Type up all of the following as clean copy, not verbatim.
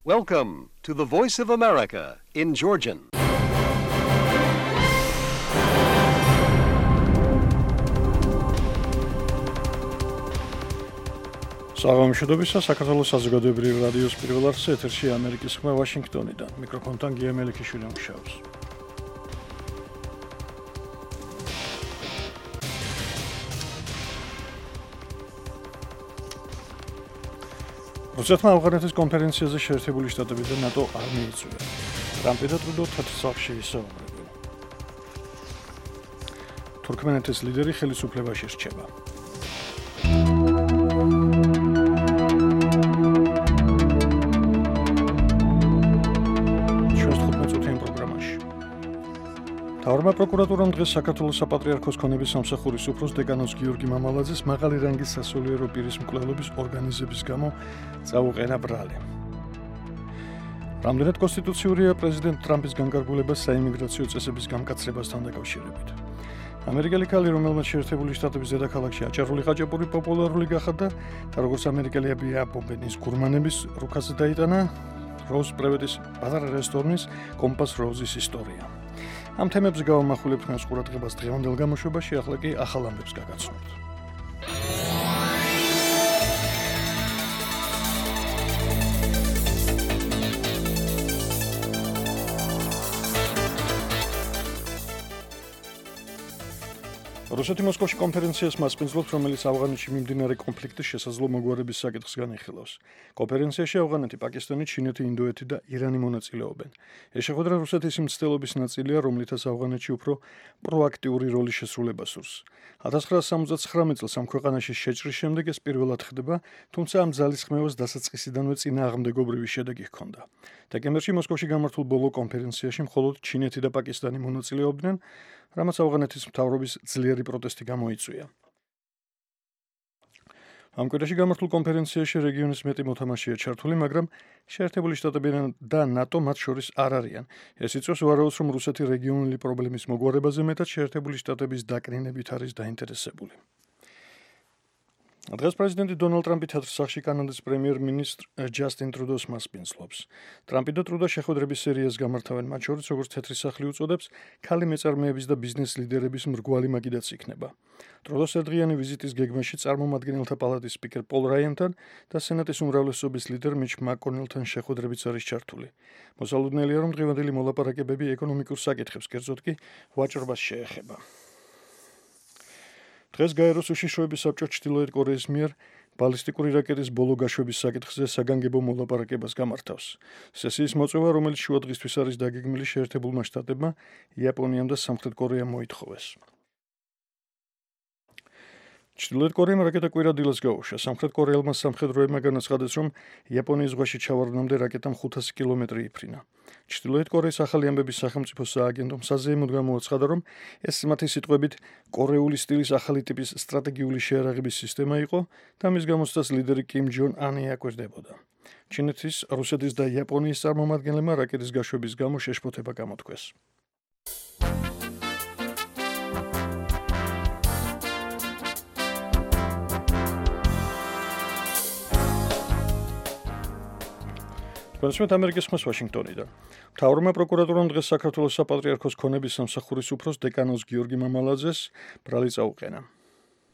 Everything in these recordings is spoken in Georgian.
Welcome to the Voice of America in Georgian. საღამოშობისა საქართველოს საზოგადოებრივი რადიოს პირველ არხზე ეთერში ამერიკის ხმა ვაშინგტონიდან. მიკროფონთან გია მელიქიშვილი მუშაობს. რუსეთმა ავღანეთის კონფერენციაზე შეერთებული შტატები და ნატო არ მიიწვია. ტრამპი და ტრუდო თეთრ სახლში ისაუბრებენ. თურქმენეთის ლიდერი ხელისუფლებაში რჩება. მთავრობამ პროკურატურამ დღეს საქართველოს საპატრიარქოს ქონების სამსახურის უფროს დეკანოს გიორგი მამალაძეს მაღალი რანგის სასულიერო პირის მკვლელობის ორგანიზების გამო წაუყენა ბრალი. რამდენად კონსტიტუციურია პრეზიდენტ ტრამპის განკარგულება საიმიგრაციო წესების გამკაცრებასთან დაკავშირებით. ამერიკელი ქალი, რომელმაც შეერთებული შტატების დედაქალაქში აჭარული ხაჭაპური პოპულარული გახადა და როგორც ამერიკელი აბია ბობენის გურმანების რუქაზე დაიტანა როუზ პრევედის პატარა რესტორნის კომპას როუზის ისტორია. ამ თემებზე გავამახვილებთ მას ყურადღებას დღევანდელ გამოშვებაში, ახლა კი ახალ ამბებს გაგაცნობთ. რუსეთი მოსკოვში კონფერენციას მასპინძლობს, რომელიც ავღანეთში მიმდინარე კონფლიქტის შესაძლო მოგვარების საკითხს განიხილავს. კონფერენციაში ავღანეთი, პაკისტანი, ჩინეთი, ინდოეთი და ირანი მონაწილეობენ. ეს შეხვედრა რუსეთის მცდელობის ნაწილია, რომლითაც ავღანეთში უფრო პროაქტიული როლის შესრულება სურს. 1979 წელს ამ ქვეყანაში შეჭრის შემდეგ ეს პირველად ხდება, თუმცა ამ ძალისხმევას დასაწყისიდანვე წინააღმდეგობრივი შედეგი ჰქონდა. დეკემბერში მოსკოვში გამართულ ბოლო კონფერენციაში მხოლოდ ჩინეთი და პაკისტანი მონაწილეობდნენ, რამაც ავღანეთის მთავრობის ძლიერი პროტესტი გამოიწვია. ამ კვირაში გამართულ კონფერენციაში რეგიონის მეტი მოთამაშეა ჩართული, მაგრამ შეერთებული შტატები და ნატო მათ შორის არ არიან. ეს იწვევს ვარაუდს, რომ რუსეთი რეგიონული პრობლემის მოგვარებაზე მეტად შეერთებული შტატების დაკნინებით არის დაინტერესებული. დღეს პრეზიდენტი დონალდ ტრამპი თეთრ სახლში კანადის პრემიერ-მინისტრ ჯასტინ ტრუდოს მასპინძლობს. ტრამპი და ტრუდო შეხვედრების სერიას გამართავენ, მათ შორის, როგორც თეთრი სახლი უწოდებს, ქალი მეწარმეების და ბიზნეს ლიდერების მრგვალი მაგიდაც იქნება. ტრუდოს ერთდღიანი ვიზიტის გეგმაში წარმომადგენელთა პალატის სპიკერ პოლ რაიანთან და სენატის უმრავლესობის ლიდერ მიჩ მაკონელთან შეხვედრებიც არის ჩართული. მოსალოდნელია, რომ დღევანდელი მოლაპარაკებები ეკონომიკურ საკითხებს, კერძოდ კი ვაჭრობას შეეხება. დღეს გაეროს უშიშროების საბჭო ჩრდილოეთ კორეის მიერ ბალისტიკური რაკეტის ბოლო გაშვების საკითხზე საგანგებო მოლაპარაკებას გამართავს. სესიის მოწვევა, რომელიც შუადღისთვის არის დაგეგმილი შეერთებულმა შტატებმა, იაპონიამ და სამხრეთ კორეამ მოითხოვეს. ჩრდილოეთ კორეამ რაკეტა კვირადილას გაუშვა. სამხრეთ კორეელმა სამხედროებმა განაცხადეს, რომ იაპონიის ზღვაში ჩავარდნამდე რაკეტამ 500 კილომეტრი იფრინა. ჩრდილოეთ კორეის ახალი ამბების სახელმწიფო სააგენტომ საზეიმოდ გამოაცხადა, რომ ეს მათი სიტყვებით კორეული სტილის ახალი ტიპის სტრატეგიული შეარაღების სისტემა იყო და მის გამოცდას ლიდერი კიმ ჯონ ანი აკვირდებოდა. ჩინეთის, რუსეთის და იაპონიის წარმომადგენლებმა რაკეტის გაშვების გამო შეშფოთება გამოთქვეს. პრეზიდენტ ამერიკის ხმას ვაშინგტონიდან. მთავრობამ პროკურატურამ დღეს საქართველოს საპატრიარქოს ქონების სამსახურის უფროს დეკანოს გიორგი მამალაძეს ბრალი წაუყენა.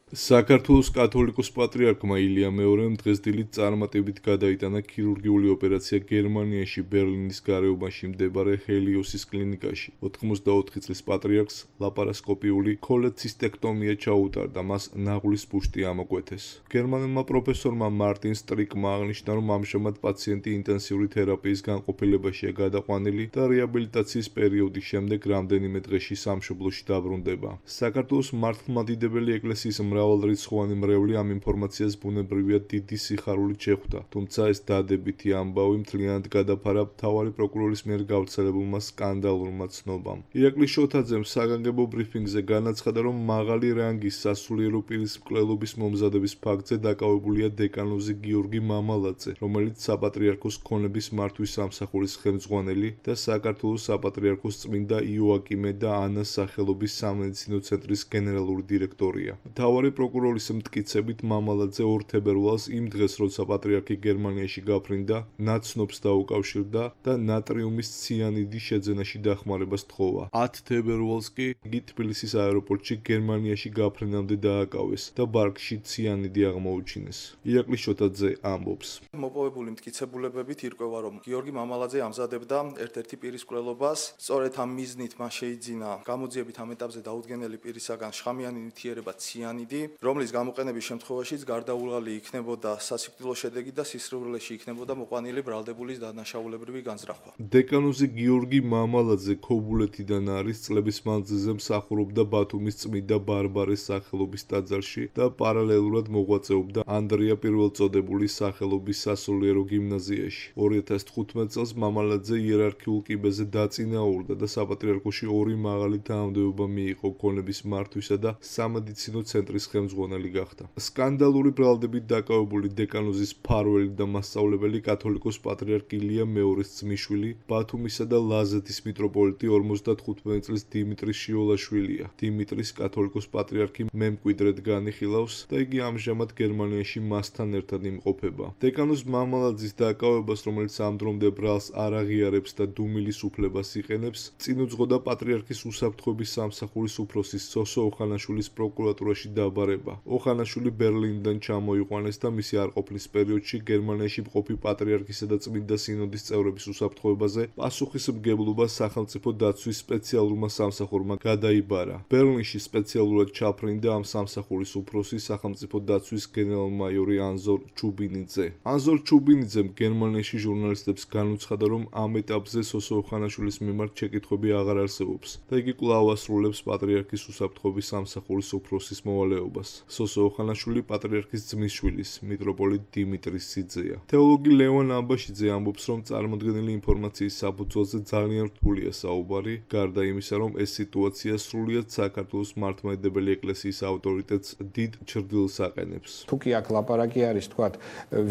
საქართველოს კათოლიკოს პატრიარქმა ილია მეორემ დღეს დილით წარმატებით გადაიტანა ქირურგიული ოპერაცია გერმანიაში ბერლინის გარეუბანში მდებარე ჰელიოსის კლინიკაში. 84 წლის პატრიარქს ლაპარასკოპიული ქოლეცისტექტომია ჩაუტარდა, მას ნაღლის ბუშტი ამოკვეთეს. გერმანელმა პროფესორმა მარტინ სტრიკმა აღნიშნა, რომ ამჟამად პაციენტი ინტენსიური თერაპიის განყოფილებაშია გადაყვანილი და რეაბილიტაციის პერიოდის შემდეგ რამდენიმე დღეში სამშობლოში დაბრუნდება. საქართველოს მართლმადიდებელი ეკლესიის მრავალრიცხოვანი მრევლი ამ ინფორმაციას ბუნებრივია დიდი სიხარულით შეხვდა, თუმცა ეს დადებითი ამბავი მთლიანად გადაფარა მთავარი პროკურორის მიერ გავრცელებულმა სკანდალურმა ცნობამ. ირაკლი შოთაძემ საგანგებო ბრიფინგზე განაცხადა, რომ მაღალი რანგის სასულიერო პირის მკვლელობის მომზადების ფაქტზე დაკავებულია დეკანოზი გიორგი მამალაძე, რომელიც საპატრიარქოს ქონების მართვის სამსახურის ხელმძღვანელი და საქართველოს საპატრიარქოს წმინდა იოაკიმე და ანას სახელობის სამედიცინო ცენტრის გენერალური დირექტორია. მთავარი მთავარი პროკურორის მტკიცებით მამალაძე 2 თებერვალს იმ დღეს, როცა პატრიარქი გერმანიაში გაფრინდა, ნაცნობს დაუკავშირდა და ნატრიუმის ციანიდის შეძენაში დახმარებას თხოვა. 10 თებერვალს კი იგი თბილისის აეროპორტში გერმანიაში გაფრინამდე დააკავეს და ბარგში ციანიდი აღმოუჩინეს. ირაკლი შოთაძე ამბობს. მოპოვებული მტკიცებულებებით ირკვევა, რომ გიორგი მამალაძე ამზადებდა ერთ-ერთი პირის მკვლელობას. სწორედ ამ მიზნით მას შეიძინა გამოძიებით ამ ეტაპზე დაუდგენელი პირისაგან შხამიანი ნივთიერება ციანიდი, რომლის გამოყენების შემთხვევაშიც გარდაუღალი იქნებოდა სასიკვდილო შედეგი და სისხლურეში იქნებოდა მოყვანილი ბრალდებულის დანაშაულებრივი განზრახვა. დეკანოზი გიორგი მამალაძე ქობულეთიდან არის, წლების მანძილზე მსახურობდა ბათუმის წმიდა ბარბარეს სახელობის ტაძარში და პარალელურად მოღვაწეობდა ანდრია პირველწოდებულის სახელობის სასულიერო გიმნაზიაში. 2015 წელს მამალაძე იერარქიულ კიბეზე დაწინაურდა და საპატრიარქოში 2 მაღალი თანამდებობა მიიღო ქონების მართვისა და სამედიცინო ცენტრის ხელმძღვანელი გახდა. სკანდალური ბრალდებით დაკავებული დეკანოზის მფარველი და მასწავლებელი კათოლიკოს პატრიარქ ილია მეორის ძმისშვილი, ბათუმისა და ლაზეთის მიტროპოლიტი 55 წლის დიმიტრი შიოლაშვილია. დიმიტრის კათოლიკოს პატრიარქი მემკვიდრედ განიხილავს და იგი ამჟამად გერმანიაში მასთან ერთად იმყოფება. დეკანოზ მამალაძის დაკავებას, რომელიც ამ დრომდე ბრალს არ აღიარებს და დუმილის უფლებას იყენებს, წინ უძღოდა პატრიარქის უსაფრთხოების სამსახურის უფროსის სოსო ოხანაშვილის პროკურატურაში დაბარება. ოხანაშვილი ბერლინიდან ჩამოიყვანეს და მისი არყოფნის პერიოდში გერმანიაში მყოფი პატრიარქისა და წმინდა სინოდის წევრების უსაფრთხოებაზე პასუხისმგებლობა სახელმწიფო დაცვის სპეციალურმა სამსახურმა გადაიბარა. ბერლინში სპეციალურად ჩაფრინდა ამ სამსახურის უფროსი სახელმწიფო დაცვის გენერალ-მაიორი ანზორ ჩუბინიძე. ანზორ ჩუბინიძემ გერმანიაში ჟურნალისტებს განუცხადა, რომ ამ ეტაპზე სოსო ოხანაშვილის მიმართ შეკითხვები აღარ არსებობს და იგი კვლავ ასრულებს პატრიარქის უსაფრთხოების სამსახურის უფროსის მოვალეობას. სოსო ოხანაშვილი პატრიარქის ძმისშვილის, მიტროპოლიტ დიმიტრის სიძეა. თეოლოგი ლევან ამბაშიძე ამბობს, რომ წარმოდგენილი ინფორმაციის საფუძველზე ძალიან რთულია საუბარი, გარდა იმისა, რომ ეს სიტუაცია სრულიად საქართველოს მართლმადიდებელი ეკლესიის ავტორიტეტს დიდ ჩრდილს აყენებს. თუ კი აქ ლაპარაკი არის, თქვათ,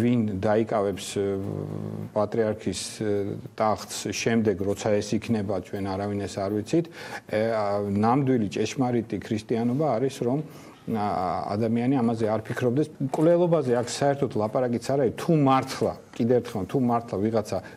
ვინ დაიკავებს პატრიარქის ტახტს შემდეგ, როცა ეს იქნება, ჩვენ არავინ ეს არ ვიცით, ნამდვილი ჭეშმარიტი ქრისტიანობა არის, რომ ადამიანი ამაზე არ ფიქრობდეს. მკვლელობაზე აქ საერთოდ ლაპარაკიც არ არის, თუ მართლა, კიდევ ერთხელ, თუ მართლა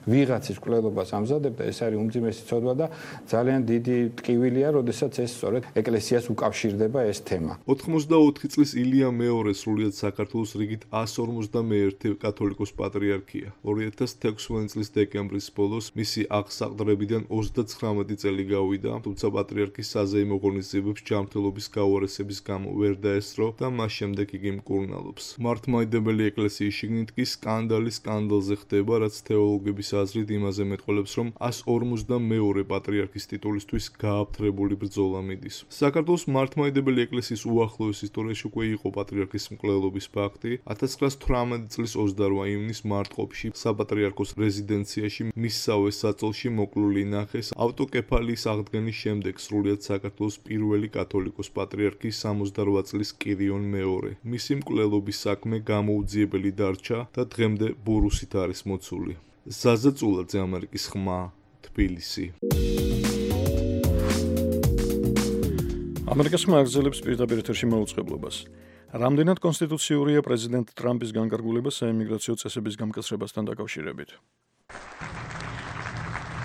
ვიღაცის მკვლელობას ამზადებდა, ეს არის უმძიმესი ცოდვა და ძალიან დიდი ტკივილია, როდესაც ეს სწორედ ეკლესიას უკავშირდება ეს თემა. 84 წლის ილია მეორე სრულიად საქართველოს რიგით 151 კათოლიკოს პატრიარქია. 2016 წლის დეკემბრის ბოლოს მისი აღსაყდრებიდან 39 წელი გავიდა, თუმცა პატრიარქის საზეიმო ღონისძიებებს ჯანმრთელობის გაუარესების გამო ვერ დაესწრო და მას შემდეგ იგი მკურნალობს. მართლმადიდებელი ეკლესიის შიგნით კი სკანდალზე ხდება, რაც თეოლოგების აზრით იმაზე მეტყველებს, რომ 152 პატრიარქის ტიტულისთვის გააფთრებული ბრძოლა მიდის. საქართველოს მართლმადიდებელი ეკლესიის უახლოეს ისტორიაში უკვე იყო პატრიარქის მკვლელობის ფაქტი. 1918 წლის 28 ივნისს მარტყოფში საპატრიარქოს რეზიდენციაში მისსავე საწოლში მოკლული ნახეს ავტოკეფალიის აღდგენის შემდეგ სრულიად საქართველოს პირველი კათოლიკოს პატრიარქი 68 წლის კირიონ მეორე. მისი მკვლელობის საქმე გამოუძიებელი დარჩა და დღემდე ბურუსით არის მოცული. ზაზა წულაძე, ამერიკის ხმა, თბილისი. ამერიკის ხმა აგრძელებს პირდაპირ ეთერში მაუწყებლობას. რამდენად კონსტიტუციურია პრეზიდენტ ტრამპის განკარგულება საიმიგრაციო წესების გამკაცრებასთან დაკავშირებით?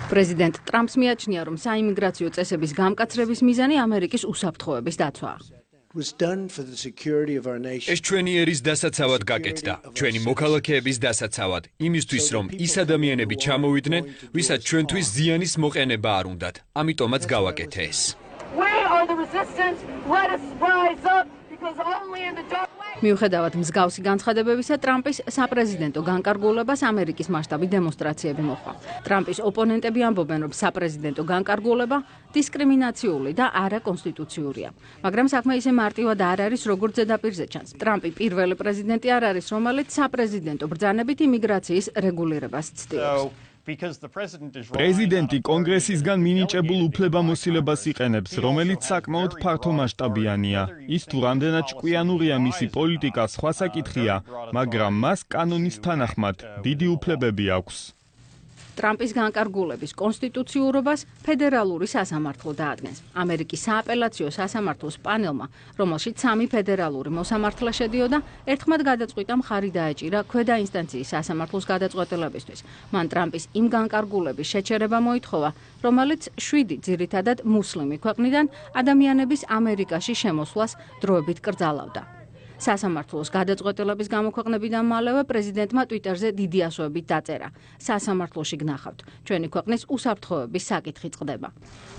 პრეზიდენტ ტრამპს მიაჩნია, რომ საიმიგრაციო წესების გამკაცრების მიზანი ამერიკის უსაფრთხოების დაცვაა. ეს ჩვენი ერის დასაცავად გაკეთდა, ჩვენი მოქალაქეების დასაცავად, იმისთვის, რომ ის ადამიანები ჩამოვიდნენ, ვისაც ჩვენთვის ზიანის მოყენება არ უნდათ. ამიტომაც გავაკეთე ეს. მიუხედავად მსგავსი განცხადებებისა, ტრამპის საპრეზიდენტო განკარგულებას ამერიკის მასშტაბით დემონსტრაციები მოჰყვა. ტრამპის ოპონენტები ამბობენ, რომ საპრეზიდენტო განკარგულება დისკრიმინაციული და არაკონსტიტუციურია. მაგრამ საქმე ისე მარტივად არ არის, როგორც ზედაპირზე ჩანს. ტრამპი პირველი პრეზიდენტი არ არის, რომელიც საპრეზიდენტო ბრძანებით იმიგრაციის რეგულირებას ცდილობს. პრეზიდენტი კონგრესისგან მინიჭებულ უფლებამოსილებას იყენებს, რომელიც საკმაოდ ფართომასშტაბიანია. ის თუ რამდენად ჭკვიანურია მისი პოლიტიკა, სხვა საკითხია, მაგრამ მას კანონის თანახმად დიდი უფლებები აქვს. ტრამპის განკარგულების კონსტიტუციურობას ფედერალური სასამართლო დაადგენს. ამერიკის სააპელაციო სასამართლოს პანელმა, რომელშიც 3 ფედერალური მოსამართლე შედიოდა, ერთხმად გადაწყვიტა მხარი დაეჭირა ქვედა ინსტანციის სასამართლოს გადაწყვეტილებისთვის. მან ტრამპის იმ განკარგულების შეჩერება მოითხოვა, რომელიც 7 ძირითადად მუსლიმი ქვეყნიდან ადამიანების ამერიკაში შემოსვლას დროებით კრძალავდა. სასამართლოს გადაწყვეტილების გამოქვეყნებიდან მალევე პრეზიდენტმა ტვიტერზე დიდი ასოებით დაწერა. სასამართლოში გნახავთ, ჩვენი ქვეყნის უსაფრთხოების საკითხი წყდება.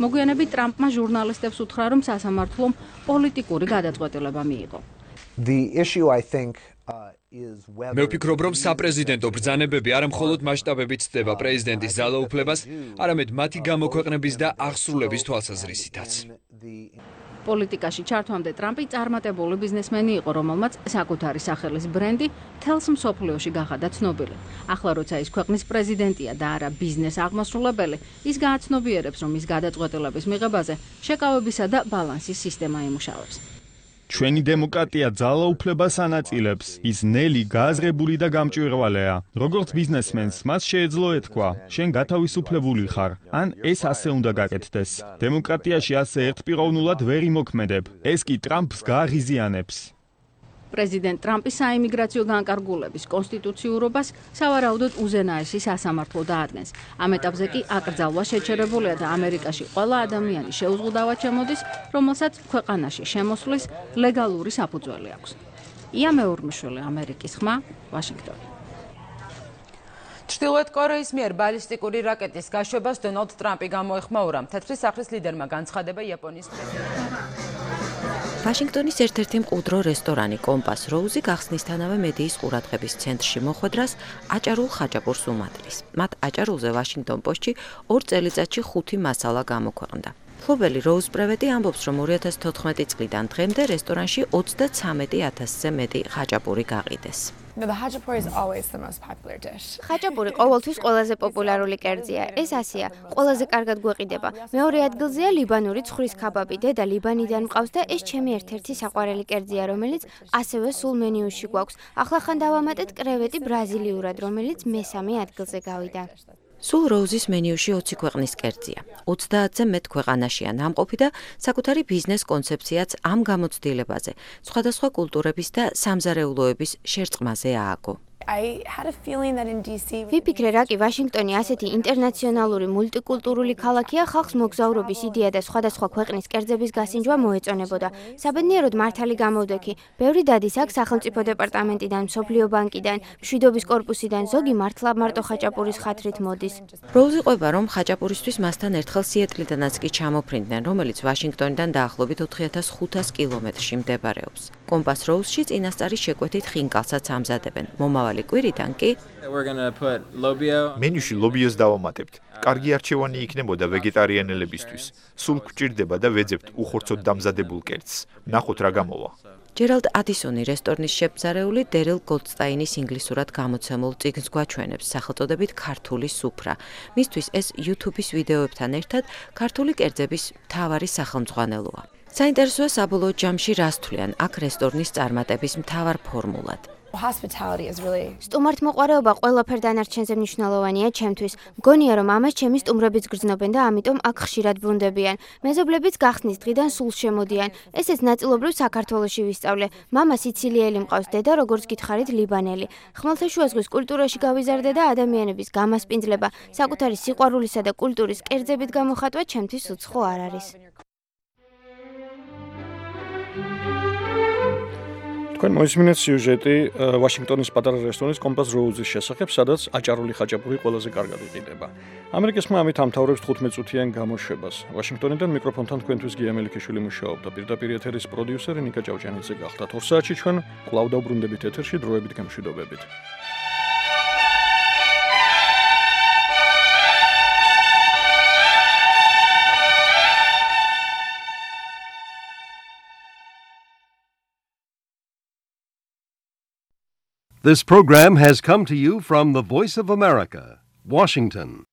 მოგვიანებით ტრამპმა ჟურნალისტებს უთხრა, რომ სასამართლომ პოლიტიკური გადაწყვეტილება მიიღო. მე ვფიქრობ, რომ საპრეზიდენტო ბრძანებები არა მხოლოდ მასშტაბებით ცდება პრეზიდენტის ძალაუფლებას, არამედ მათი გამოქვეყნების და აღსრულების თვალსაზრისითაც. პოლიტიკაში ჩართვამდე ტრამპი წარმატებული ბიზნესმენი იყო, რომელმაც საკუთარი სახელის ბრენდი მთელს მსოფლიოში გახადა ცნობილი. ახლა როცა ის ქვეყნის პრეზიდენტია და არა ბიზნეს აღმასრულებელი, ის გააცნობიერებს, რომ ის გადაწყვეტილების მიღებაზე შეკავებისა და ბალანსის სისტემა იმუშავებს. ჩვენი დემოკრატია ძალაუფლებას ანაწილებს. ის ნელი, გააზრებული და გამჭვირვალეა. როგორც ბიზნესმენს მას შეეძლო ეთქვა, შენ გათავისუფლებული ხარ, ან ეს ასე უნდა გაკეთდეს. დემოკრატიაში ასე ერთპიროვნულად ვერ იმოქმედებ. ეს კი ტრამპს გააღიზიანებს. პრეზიდენტ ტრამპის საიმიგრაციო განკარგულების კონსტიტუციურობას სავარაუდოდ უზენაესი სასამართლო დაადგენს. ამ ეტაპზე კი აკრძალვა შეჩერებულია და ამერიკაში ყველა ადამიანი შეუზღუდავად შემოდის, რომელსაც ქვეყანაში შემოსვლის ლეგალური საფუძველი აქვს. ია მეურმიშვილი, ამერიკის ხმა, ვაშინგტონი. ჩრდილოეთ კორეის მიერ ბალისტიკური რაკეტის გაშვებას დონალდ ტრამპი გამოეხმაურა. თეთრი სახლის ლიდერმა განცხადება იაპონიის პრეზიდენტს. ვაშინგტონის ერთ-ერთი მყუდრო რესტორანი კომპას როუზი გახსნისთანავე მედიის ყურადღების ცენტრში მოხვედრას აჭარულ ხაჭაპურს უმატრის. მათ აჭარულზე ვაშინგტონ პოსტში 2 წელიწადში 5 მასალა გამოქვეყნდა. მფლობელი როუზ პრევეტი ამბობს, რომ 2014 წლიდან დღემდე რესტორანში 33,000-ზე მეტი ხაჭაპური გაყიდეს. ხაჭაპური ყოველთვის ყველაზე პოპულარული კერძია. ეს ასეა, ყველაზე კარგად გვეყიდება. მეორე ადგილზეა ლიბანური ცხვრის ქაბაბი. დედა ლიბანიდან მყავს და ეს ჩემი ერთ-ერთი საყვარელი კერძია, რომელიც ასევე სულ მენიუში გვაქვს. ახლა ხან დავამატეთ კრევეტი ბრაზილიურად, რომელიც მესამე ადგილზე გავიდა. სულ როუზის მენიუში 20 ქვეყნის კერძია. 30-ზე მეტ ქვეყანაშია ნამყოფი და საკუთარი ბიზნეს კონცეფციაც ამ გამოცდილებაზე, სხვადასხვა კულტურების და სამზარეულოების შერწყმაზე ააგო. ვიფიქრე, რა კი ვაშინგტონი ასეთი ინტერნაციონალური მულტიკულტურული ქალაქია, ხალხს მოგზაურობის იდეა და სხვადასხვა ქვეყნის კერძების გასინჯვა მოეწონებოდა. საბედნიეროდ მართალი გამოვდექი. ბევრი დადის აქ სახელმწიფო დეპარტამენტიდან, მსოფლიო ბანკიდან, მშვიდობის კორპუსიდან, ზოგი მართლა მარტო ხაჭაპურის ხათრით მოდის. როუზი ყვება, რომ ხაჭაპურისთვის მასთან ერთხელ სიეტლიდანაც კი ჩამოფრინდნენ, რომელიც ვაშინგტონიდან დაახლოებით 4500 კილომეტრში მდებარეობს. კომპას როუზში წინასწარი შეკვეთით ხინკალსაც ამზადებენ. მომავალი კვირიდან კი მენიუში ლობიოს დავამატებთ. კარგი არჩევანი იქნებოდა ვეგეტარიანელებისთვის. სულ გვჭირდება და ვეძებთ უხორცოდ დამზადებულ კერძს. ნახოთ რა გამოვა. ჯერალდ ადისონი რესტორნის შეფსარეული დერილ გოლდსტაინის ინგლისურად გამოცემულ წიგნს გვაჩვენებს სახელწოდებით ქართული სუფრა. მისთვის ეს YouTube-ის ვიდეოებთან ერთად ქართული კერძების მთავარი სახელმძღვანელოა. საინტერესოა საბოლოო ჯამში რას თვლიან აქ რესტორნის წარმატების მთავარ ფორმულად. სტუმართმოყვარეობა ყველაფერ დანარჩენზე მნიშვნელოვანია ჩემთვის. მგონია, რომ ამას ჩემი სტუმრებიც გრძნობენ და ამიტომ აქ ხშირად ბრუნდებიან. მეზობლებიც გახსნის დღიდან სულ შემოდიან. ესეც ნაწილობრივ საქართველოში ვისწავლე. მამა სიცილიელი მყავს, დედა როგორც გითხარით ლიბანელი. ხმელთაშუა ზღვის კულტურაში გავიზარდე და ადამიანების გამასპინძლება, საკუთარი სიყვარულისა და კულტურის კერძებით გამოხატვა ჩემთვის უცხო არ არის. თქვენ მოისმინეთ სიუჟეტი ვაშინგტონის პატარა რესტორნის კომპას როუზის შესახებ, სადაც აჭარული ხაჭაპური ყველაზე კარგად იყიდება. ამერიკის ხმა ამით ამთავრებს 15 წუთიან გამოშვებას. ვაშინგტონიდან მიკროფონთან თქვენთვის გია მელიქიშვილი მუშაობდა. პირდაპირ ეთერის პროდიუსერი ნიკა ჭავჭანიძე გახდათ. 2 საათში ჩვენ კვლავ დავბრუნდებით ეთერში დროებით გამშვიდობებით. This program has come to you from the Voice of America, Washington.